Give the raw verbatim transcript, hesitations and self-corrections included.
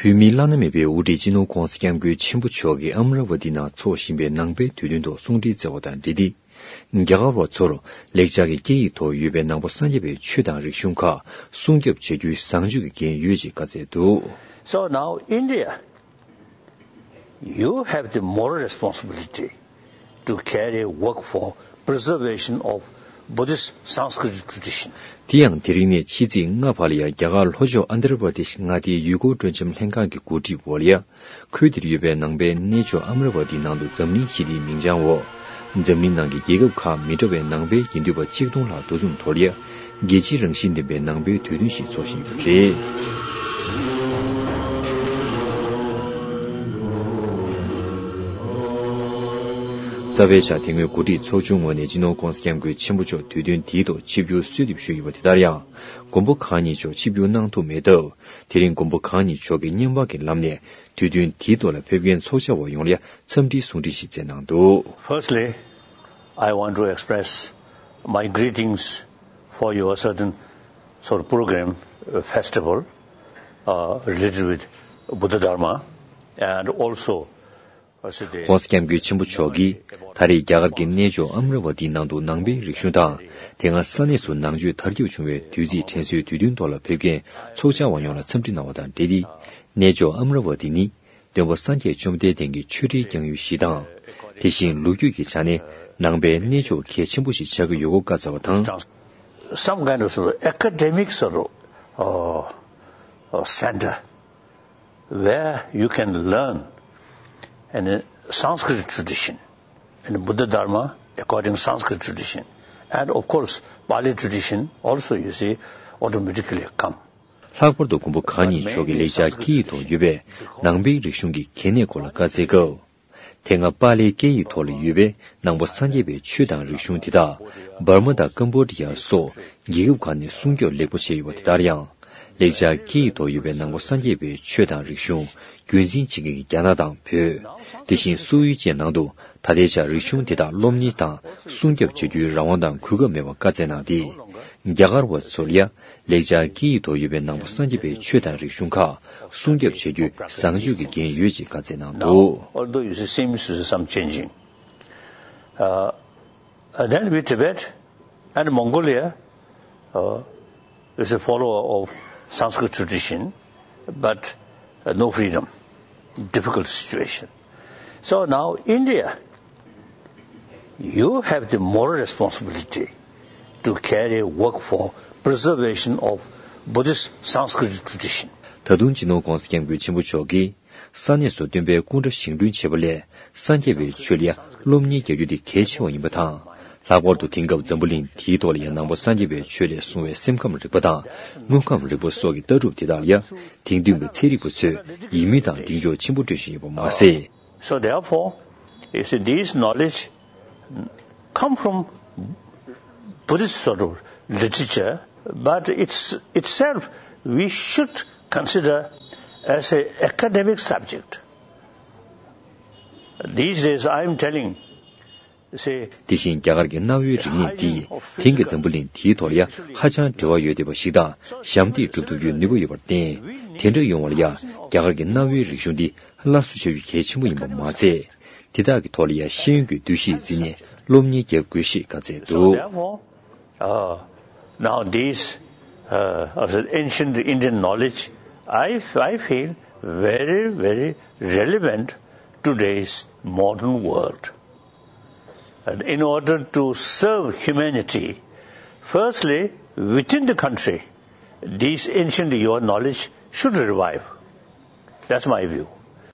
བོད་མིའི་བླ་ན་མེད་པའི་དབུ་ཁྲིད་སྤྱི་ནོར་༧གོང་ས་༧སྐྱབས་མགོན་ཆེན་པོ་མཆོག་གིས་ཨ་མ་ར་ཝ་ཏི་ནང་འཚོགས་བཞིན་པའི་ནང་པའི་དུས་སྟོན་ཐོག་གསུང་འཕྲིན་བསྩལ་བ་དང་འབྲེལ་ཏེ། རྒྱ་གར་བ་ཚོར་ལེགས་སྦྱར་གྱི་སྐད་ཡིག་ཐོག་ཡོད་པའི་ནང་པ་སངས་རྒྱས་པའི་ཆོས་དང་རིག་གཞུང་ཁག་སྲུང་སྐྱོབ་བྱ་རྒྱུའི་བཟང་སྤྱོད་ཀྱི་འགན་ཡོད་ཅེས་བཀའ་སྩལ་འདུག། So now India, you have the moral responsibility to carry work for preservation of Buddhist Sanskrit tradition. དེ་ཡང་དེ་རིང་ནས་ཕྱི་ཚེས་ལྔ་བར་ལ་ཡང་རྒྱ་གར་ལྷོ་ཕྱོགས་ཨན་དྷྲ་པྲ་དེཤ་མངའ་སྡེའི་ཡུལ་སྐོར་སྤྲོ་འཆམ་ལྷན་ཁང་གི་གོ་སྒྲིག་འོག་ལ་ཡང་ཁུལ་དེར་ཡོད་པའི་ནང་པའི་གནས་མཆོག་ཨ་མ་ར་ཝ་ཏི་ནང་དུ་འཛམ་གླིང་ཞི་བདེའི་མིང་བྱང་འོག་འཛམ་གླིང་ནང་གི་རྒྱལ་ཁབ་ཁག་མི་འདྲ་བའི་ནང་པའི་དགེ་འདུན་པ་གཅིག་སྟོང་ལྷག་འདུ་འཛོམས་ཐོག་ལ་ཡང་རྒྱལ་སྤྱིའི་རང་བཞིན་ལྡན་པའི་ནང་པའི་དུས་སྟོན་ཞིག་འཚོགས་བཞིན་ཡོད་པ་རེད། རྩ་བའི་ཆ་དེ་སྔོན་གོ་སྒྲིག་ཚོགས་ཆུང་ངོས་ནས་སྤྱི་ནོར་༧གོང་ས་༧སྐྱབས་མགོན་ཆེན་པོ་མཆོག་དུས་སྟོན་དེའི་ཐོག་ཆིབས་བསྒྱུར་གསོལ་འདེབས་ཞུས་ཡོད་པ་དེ་ལྟར་ཡང་མགོན་པོ་གང་ཉིད་མཆོག་ཆིབས་བསྒྱུར་གནང་ཐུབ་མེད་སྟབས། དེ་རིང་མགོན་པོ་གང་ཉིད་མཆོག་གིས་བརྙན་པར་གྱི་ལམ་ནས་དུས་སྟོན་དེའི་ཐོག་ལ་ཕེབས་མཁན་ཚོགས་བཅར་བ་ཡོངས་ལ་འཚམས་འདྲིའི་གསུང་འཕྲིན་ཞིག་བསྩལ་གནང་འདུག། Firstly, I want to express my greetings for your certain sort of program, uh, festival, uh, related with Buddha Dharma, and also, uh, ྋགོང་ས་ྋསྐྱབས་མགོན་ཆེན་པོ་མཆོག་གིས་ད་རེས་རྒྱ་གར་གྱི་གནས་མཆོག་ཨ་མ་ར་ཝ་ཏིའི་ནང་དུ་ནང་པའི་རིག་གཞུང་དང་། དེ་སྔ་ས་གནས་སུ་ནང་ཆོས་དར་ཁྱབ་བྱུང་བའི་དུས་ཚིགས་དྲན་གསོའི་དུས་སྟོན་ཐོག་ལ་ཕེབས་མཁན་ཚོགས་བཅར་བ་ཡོངས་ལ་འཚམས་འདྲི་གནང་བ་དང་འབྲེལ་ཏེ། གནས་མཆོག་ཨ་མ་ར་ཝ་ཏི་ནི་སྟོན་པ་སངས་རྒྱས་བཅོམ་ལྡན་འདས་ཀྱི་ཆོས་ཁྲིའི་བསྐྱངས་ཡུལ་ཞིག་དང་། དེ་བཞིན་ལོ་རྒྱུས་ཀྱི་ཆ་ནས་ནང་པའི་གནས་མཆོག་གལ་ཆེན་པོ་ཞིག་ཆགས་ཀྱི་ཡོད་སྐོར་བཀའ་སྩལ་བ་དང་། Some kind of sort of academic sort of, uh, uh, center where you can learn in a Sanskrit tradition, in Buddha Dharma according Sanskrit tradition, and of course Pali tradition also, you see, automatically come. ལྷག་པར་དུ་མགོན་པོ་གང་ཉིད་མཆོག་གི་ལེགས་སྦྱར་སྐད་ཡིག་ཐོག་ཡོད་པའི་ནང་པའི་རིག་གཞུང་གི་གལ་གནད་སྐོར་ལ་བཀའ་སྩལ་སྐབས། དེ་སྔ་པཱ་ལིའི་སྐད་ཡིག་ཐོག་ལ་ཡོད་པའི་ནང་པ་སངས་རྒྱས་པའི་ཆོས་དང་རིག་གཞུང་དེ་དག་འབར་མ་དང་ཀམ་བྷོ་ཌི་ཡ་སོགས་རྒྱལ་ཁབ་ཁག་ནས་སྲུང་སྐྱོབ་ལེགས་པོ་བྱས་ཡོད་པ་དེ་ལྟར་ཡང་། ལེགས་སྦྱར་སྐད་ཡིག་ཐོག་ཡོད་པའི་ནང་པ་སངས་རྒྱས་པའི་ཆོས་དང་རིག་གཞུང་རྒྱུན་འཛིན་བྱེད་མཁན་གྱི་རྒྱ་ནག་དང་བོད། དེ་བཞིན་སོག་ཡུལ་བཅས་ནང་དུ་ད་ལྟའི་ཆར་རིག་གཞུང་དེ་དག་སློབ་གཉེར་དང་སྲུང་སྐྱོབ་བྱ་རྒྱུའི་རང་དབང་དང་གོ་སྐབས་མེད་པར་བཀའ་སྩལ་གནང་སྟེ། རྒྱ་གར་བ་ཚོར་ཡང་ལེགས་སྦྱར་སྐད་ཡིག་ཐོག་ཡོད་པའི་ནང་པ་སངས་རྒྱས་པའི་ཆོས་དང་རིག་གཞུང་ཁག་སྲུང་སྐྱོབ་བྱ་རྒྱུའི་བཟང་སྤྱོད་ཀྱི་འགན་ཡོད་ཅེས་བཀའ་སྩལ་གནང་འདུག། Although you see, seems to be some changing. Uh, and then we Tibet and Mongolia, uh, is a follower of Sanskrit tradition, but, uh, no freedom, difficult situation. So now India, you have the moral responsibility to carry work for preservation of Buddhist Sanskrit tradition. ད་དུང་སྤྱི་ནོར་༧གོང་ས་༧སྐྱབས་མགོན་ཆེན་པོ་མཆོག་གིས་ས་གནས་སུ་སྟོན་པའི་སྐུ་འདྲ་བཞེངས་སྐྲུན་བྱེད་པ་ལས་སངས་རྒྱས་པའི་ཆོས་ལ་སློབ་གཉེར་རྒྱག་རྒྱུ་དེ་གལ་ཆེ་བ་ཡིན་པ་དང་། ལྷག་པར་དུ་དེང་སྐབས་འཛམ་བུ་གླིང་འདིའི་ཐོག་ལ་ཡང་ནང་པ་སངས་རྒྱས་པའི་ཆོས་ལས་བྱུང་བའི་སེམས་ཁམས་རིག་པ་དང་དངོས་ཁམས་རིག་པ་སོགས་ཀྱི་ལྟ་གྲུབ་དེ་དག་ལ་ཡང་དེང་དུས་ཀྱི་ཚན་རིག་པ་ཚོས་ཡིད་མོས་དང་གདེང་འཇོག་ཆེན་པོ་སྤྲོད་བཞིན་ཡོད་པ་མ་ཟད། So therefore, you see, these knowledge come from Buddhist sort of literature, but it's itself we should consider as a academic subject. These days, I am telling, say, དེ་བཞིན་རྒྱ་གར་གྱི་གནའ་བོའི་རིག་གནས་འདིས་དེང་གི་འཛམ་བུ་གླིང་འདིའི་ཐོག་ལ་ཡང་ཧ་ཅང་འབྲེལ་བ་ཡོད་བསྡད་པ་ཞིག་དང་ཞབས་འདེགས་སྒྲུབ་ཐུབ་རྒྱུའི་ནུས་པ་ཡོད་པར་བརྟེན། དེ་འདྲ་ཡོང་བ་ལ་ཡང་རྒྱ་གར་གྱི་གནའ་བོའི་རིག་གཞུང་འདི་སླར་གསོ་བྱ་རྒྱུ་གལ་ཆེན་པོ་ཡིན་པ་མ་ཟད། དེ་དག་གི་ཐོག་ལ་ཡང་ཤེས་ཡོན་གྱི་འདུ་ཤེས་འཛིན་ནས་སློབ་གཉེར་བརྒྱབ་དགོས་ཞེས་བཀའ་སྩལ་འདུག། So therefore, uh, now these, uh, as an ancient Indian knowledge, I, I feel very, very relevant today's modern world. And in order to serve humanity, firstly, within the country, these ancient your knowledge should revive. That's my view.